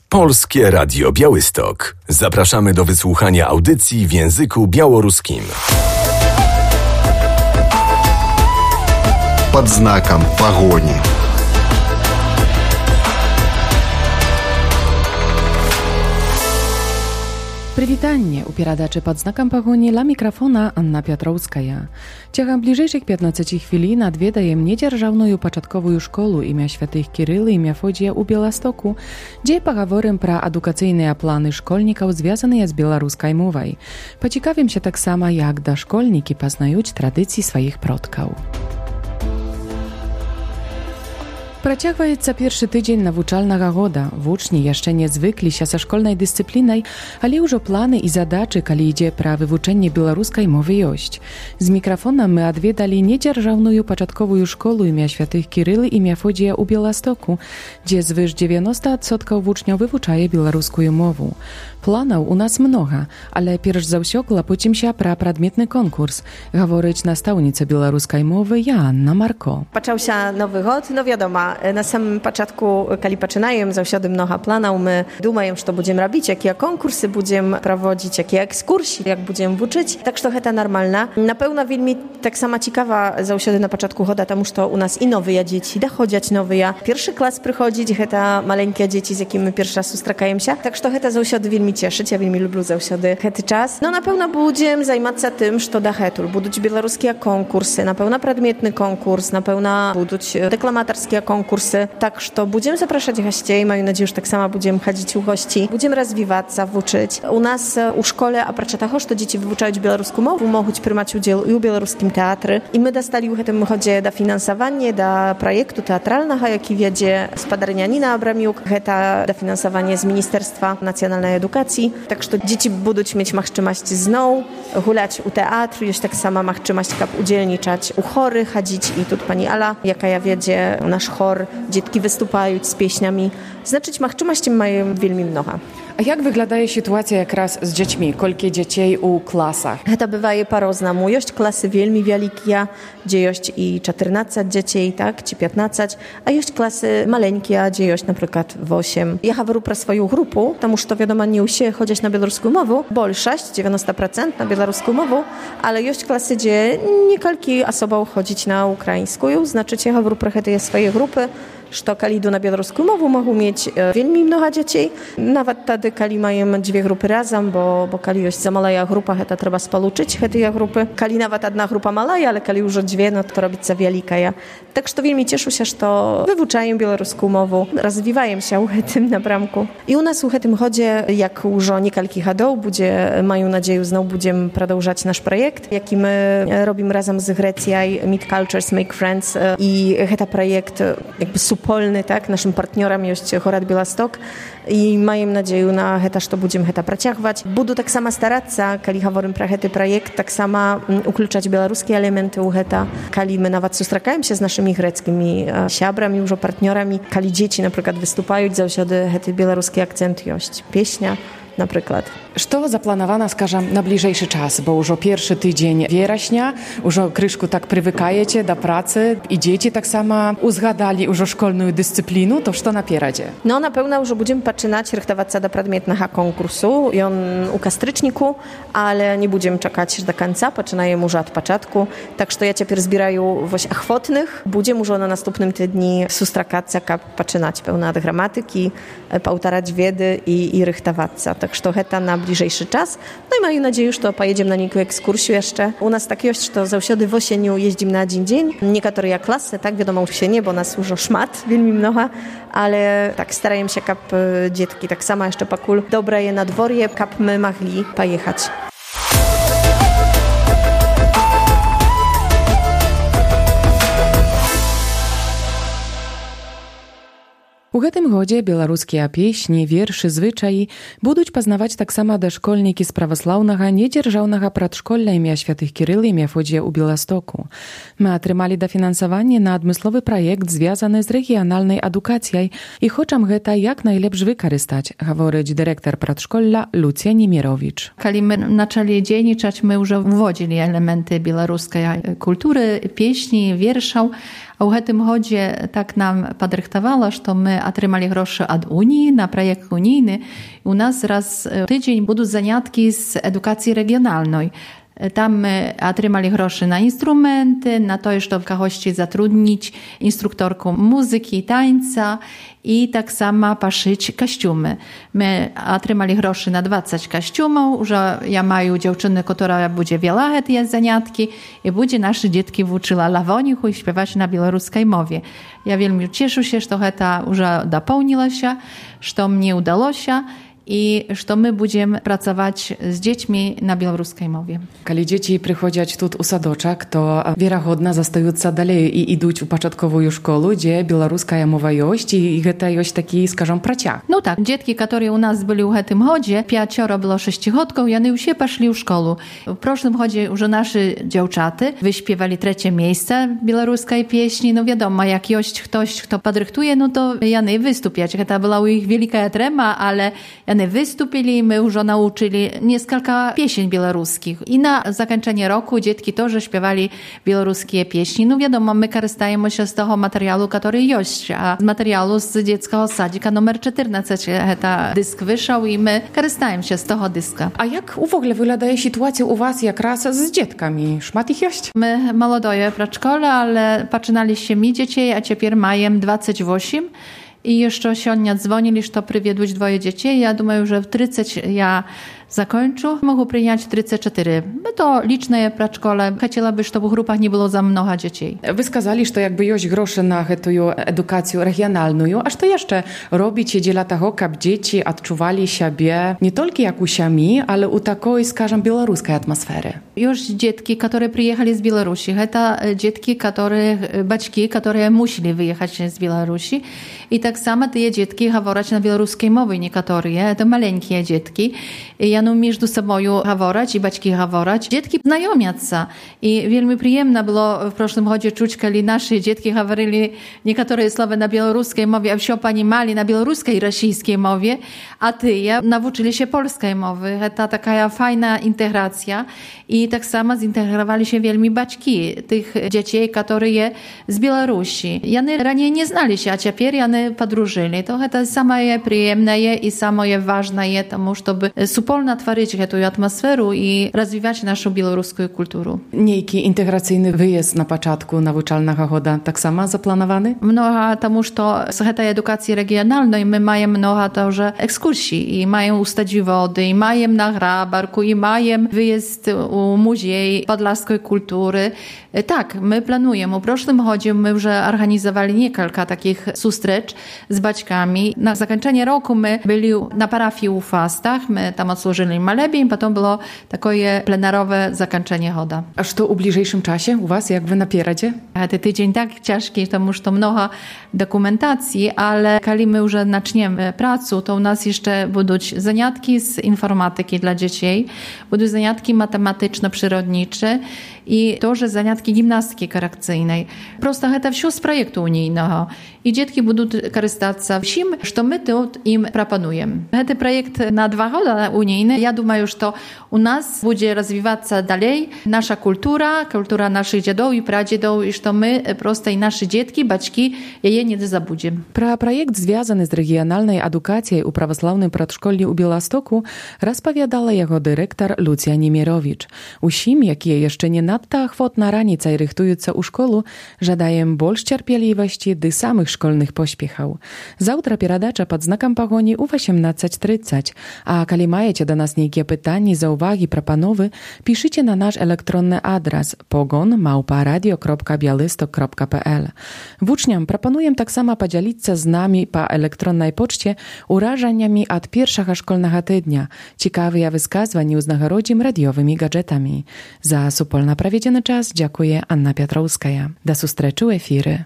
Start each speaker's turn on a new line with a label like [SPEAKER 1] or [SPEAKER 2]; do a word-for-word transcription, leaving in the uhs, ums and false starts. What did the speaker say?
[SPEAKER 1] Polskie Radio Białystok. Zapraszamy do wysłuchania audycji w języku białoruskim.
[SPEAKER 2] Pod znakiem pogoni.
[SPEAKER 3] Прывітанне у перадачы пад знакам пагоні ла мікрафона Анна Пятроўская. Цягам бліжэйшых пятнаццаці хвілін адведаем недзяржаўную пачатковую школу імя святых Кірыла і Мефодія ў Беластоку, дзе пагаворым пра адукацыйныя планы школьнікаў, звязаныя з беларускай мовай. Пацікавімся таксама, як дашкольнікі пазнаюць традыцыі сваіх продкаў. Працягваецца першы тыдзень навучальнага года. Вучні яшчэ не звыкліся са школьнай дысцыплінай, але ўжо планы і задачы, калі ідзе пра вывучэнне беларускай мовы ёсць. З мікрафона мы адведалі недзяржаўную пачатковую школу імя святых Кірылы і Мефодія ў Беластоку, дзе звыш дзевяноста адсоткаў вучняў вывучае беларускую мову. Планаў у нас многа, але перш за ўсё клапоцімся пра прадметны конкурс, гаворыць настаўніца беларускай мовы Joanna Marko.
[SPEAKER 4] Пачаўся новы год, no wiadomo, na samym początku, kiedy zaczynamy, zawsze mnoho planów, my думаем, co będziemy robić, jakie konkursy będziemy prowadzić, jakie ekskursje, jak będziemy uczyć. Tak, że to normalne. Na pewno wielmi tak sama ciekawa zawsze na początku года, тому że u nas i nowe dzieci, dochodzić nowe. Pierwszy klas przychodzić, to maleńkie dzieci, z jakimi pierwszy raz spotykamy się. Tak, że to zawsze wielmi cieszyć, ja wielmi lubię zawsze ten czas. No na pewno będziemy zajmować się tym, że do hetul będą białoruskie konkursy, na pewno przedmiotny konkurs, na pewno będą deklamatorskie konkursy. Konkursy. Tak, że będziemy zapraszać gości. Mam nadzieję, że tak samo będziemy chodzić u gości. Będziemy rozwijać, uczyć. U nas u szkole, a oprócz tego, że dzieci wyuczają białoruską mowę, mogą przyjmować udział i u białoruskim teatrze. I my dostali w tym chodzie dofinansowanie do projektu teatralnego, jaki wiedzie spadarnia Nina Abramiuk. To dofinansowanie z Ministerstwa Nacjonalnej Edukacji. Tak, że dzieci będą mieć możliwość znowu hulać u teatru, już tak samo możliwość udzielniczać u chorych, chodzić. I tu pani Ala, jaka ja wiedzie, nasz chor, dzieci występują z pieśniami. Znaczyć możliwości mają wielmi mnogo.
[SPEAKER 3] A jak wygląda sytuacja jak raz z dziećmi? Kolkie dzieci u klasach?
[SPEAKER 4] To bywa po-różnemu. Jest klasy wielmi wielkie, gdzie jest i czternaście dzieci, tak, czy piętnaście, a jest klasy maleńkie, gdzie jest na przykład osiem. Ja mówię pro swoją grupę, тому że wiadomo, nie usie chodzić na białoruską mowę, bo sześć, dziewięćdziesiąt procent na białoruską mowę, ale jest klasy, gdzie niekalki osobą chodzić na ukraińską, znaczy ja mówię pro te swoje grupy, że kiedy idą na białoruską mowę, mogą mieć wielmi mnogo dzieci. Nawet wtedy, kiedy mają dwie grupy razem, bo, bo kiedy jest za mała grupa, to trzeba spoluczyć te grupy. Kiedy nawet jedna grupa mała, ale kiedy już dwie, no to robić za wielka. Tak, że wielmi cieszę się, że wyuczają białoruską mowę, rozwijają się w tym napramku. I u nas w tym chodzie, jak już niekalki hadów, będzie, mają nadzieję, znowu będziemy продолжać nasz projekt, jaki my robimy razem z Grecją, Meet Cultures, Make Friends. I ten projekt jakby polny, tak, naszym partnerem jest Chorad Białystok i mam nadzieję na to, że będziemy to pracować. Będę tak samo starać się, kiedy mówimy про ten projekt, tak samo ukluczać białoruskie elementy u heta, kiedy my nawet spotykamy się z naszymi greckimi siabrami, już partnerami, kiedy dzieci na przykład występują, zawsze ten białoruski akcent jest, pieśnia na przykład.
[SPEAKER 3] Co zaplanowane, скажем, na bliżejszy czas, bo już pierwszy tydzień września, już kryszku tak przywykajecie do pracy i dzieci tak samo uzgadali już szkolną dyscyplinę, to co napieracie?
[SPEAKER 4] No na pewno już będziemy zaczynać rychtować się do przedmiotnego konkursu i on u kastryczniku, ale nie będziemy czekać do końca, zaczynamy już od początku, tak że ja teraz zbieraję właśnie ochotnych, będziemy już na następnym tygodniu sustrzekać się, zaczynać pełna od gramatyki, poutarać wiedzy i, i rychtować się. Tak że to na bliżejszy czas. No i mam nadzieję, że to pojedziemy na niejaką ekskursję jeszcze. U nas tak jest, że zawsze w osieniu jeździmy na dzień dzień. Niektóre klasy, tak, wiadomo, się nie, bo nas już szmat, wielmi mnoha, ale tak starają się, kap dzietki tak samo jeszcze pakul dobre je na dworje, kap my mogli pojechać.
[SPEAKER 3] У гэтым годзе беларускія песні, вершы, звычаі будуць пазнаваць таксама дашкольнікі з праваслаўнага недзяржаўнага прадшколля імя святых Кірыла і Мефодія ў Беластоку. Мы атрымалі дафінансаванне на адмысловы праект, звязаны з рэгіянальнай адукацыяй, і хочам гэта як найлепш выкарыстаць, гаворыць дырэктар прадшколля Lucja Niemirowicz.
[SPEAKER 5] Kiedy my zaczęli dzienniczać, my już wwodzili elementy białoruskiej kultury, pieśni, wierszów, A u tym chodzie tak nam podrychtowało, że my otrzymali grosze od Unii na projekt unijny. U nas raz w tydzień będą zaniatki z edukacji regionalnej. Tam my otrzymali grosze na instrumenty, na to, żeby w kahości zatrudnić instruktorką muzyki i tańca i tak samo paszyć kostiumy. My otrzymali grosze na dwadzieścia kostiumów, że ja mają dziewczynę, która będzie wiele te zaniatki i będzie nasze dzieci uczyła lawonichu i śpiewać na białoruskiej mowie. Ja wielmi cieszę się, że to już dopełniło się, że mnie udało się i że my będziemy pracować z dziećmi na białoruskiej mowie.
[SPEAKER 3] Kiedy dzieci przychodzą tu u sadoczek, to wiarygodnie zostają dalej i idą u początkową szkołę, gdzie białoruska mowa jest i to jest taki, скажем, praciak.
[SPEAKER 5] No tak, dzieci, które u nas byli w tym chodzie, pięcioro było sześciochodków, i one już poszli w szkołę. W przeszłym chodzie już nasze dziewczaty wyśpiewali trzecie miejsce białoruskiej pieśni. No wiadomo, jak jest ktoś, kto podrychtuje, no to jany wystąpiać. To była u ich wielka trema, ale jany wystąpili i my już nauczyli kilka pieśni białoruskich. I na zakończenie roku dzieci też śpiewali białoruskie pieśni. No wiadomo, my korzystajemy się z tego materiału, który jest, a z materiału z dzieckiego sadzika numer czternaście ta dysk wyszedł i my korzystajemy się z tego dyska.
[SPEAKER 3] A jak w ogóle wygląda sytuacja u was jak raz z dzietkami? Szmat ich jest?
[SPEAKER 5] My młodoje przedszkole, ale zaczynaliśmy mi dzieci, a teraz mają dwadzieścia osiem. I jeszcze się dzwonili, że to przywiedłeś dwoje dzieci. Ja думаю, że w trzydzieści ja zakończę. Mogę przyjąć trzydzieści cztery. No to liczne przedszkole. Chciałaby, żeby w grupach nie było za mnogo dzieci.
[SPEAKER 3] Wy skazali, że jakby jest grosze na tę edukację regionalną, a co jeszcze robicie dla tego, aby dzieci odczuwali siebie nie tylko jak u siami, ale u takiej, скажем, białoruskiej atmosfery?
[SPEAKER 5] Już dzieci, które przyjechali z Białorusi. To dzieci, które, baćki, które musieli wyjechać z Białorusi. I tak samo te dzieci говорять na białoruskiej mowie niektóre. To maleńkie dzieci. I no między sobą говорять i baćki говорять. Dzieci znajomią się. I wielmi przyjemne było w przeszłym chodzie czuć, kiedy nasze dzieci говорили niektóre słowa na białoruskiej mowie, a все понимали na białoruskiej i rosyjskiej mowie, a ty ja nauczyli się polskiej mowy. To taka fajna integracja. I tak samo zintegrowali się wielmi baćki tych dzieci, które je z Białorusi. Jany raniej nie znali się, a teraz jany podróżyli. To jest самое przyjemne i самое ważne, тому, żeby wspólnie tworzyć tę atmosferę i rozwijać naszą białoruską kulturę.
[SPEAKER 3] Niejki integracyjny wyjazd na początku nauczalnego choda tak samo zaplanowany?
[SPEAKER 5] Mnoga, тому что z tej edukacji regionalnej my mamy mnoga тоже ekskursji i mają ustadzić wody, i mają na Grabarku, i mają wyjazd u Muzej Podlaskiej Kultury. Tak, my planujemy. W przeszłym chodzie my już organizowali kilka takich sustrecz z baćkami. Na zakończenie roku my byli na parafii u Fastach, my tam odsłużyli malebień, potem było takie plenerowe zakończenie choda.
[SPEAKER 3] A co u bliżejszym czasie u was, jak wy napieracie?
[SPEAKER 5] Ten tydzień tak ciężki, to już to mnogo dokumentacji, ale kiedy my już zaczniemy pracę, to u nas jeszcze będą zaniatki z informatyki dla dzieci, będą zaniatki matematyczno-przyrodnicze i też zaniatki gimnastyki korekcyjnej. Prosto to wszystko z projektu unijnego. I dzieci będą korzystać z tym, co my tu im proponujemy. Ten projekt na dwa lata unijne, ja думаю, że u nas będzie rozwijać się dalej nasza kultura, kultura naszych dziadów i pradziadów i że my prosto i nasze dzieci, baćki jej nie zabudzimy.
[SPEAKER 3] Про проект, звязаны з рэгіянальнай адукацыяй у праваслаўным прадшколлі ў Беластоку, распавядала яго дырэктар Люція Неміровіч. Усім, якія яшчэ не надта ахвотна раніцай рыхтуюцца ў школу, жадаем больш цярпелівасці ды самых школьных поспехаў. Заўтра перадача пад знакам пагоні ў восемнадцать тридцать. А калі маеце да нас нейкія пытанні, заўвагі, прапановы, пішыце на наш электронны адрас pogon małpa radio kropka białystok kropka p l. Włóczniom proponuję tak samo podzielić się z nami po elektronnej poczcie urażeniami od pierwszego szkolnego tygodnia, ciekawymi wyskazwaniami uznagrodzim radiowymi gadżetami. Za supolna prawiedziony czas dziękuję Anna Piotrowska. Do sustreczu efiry.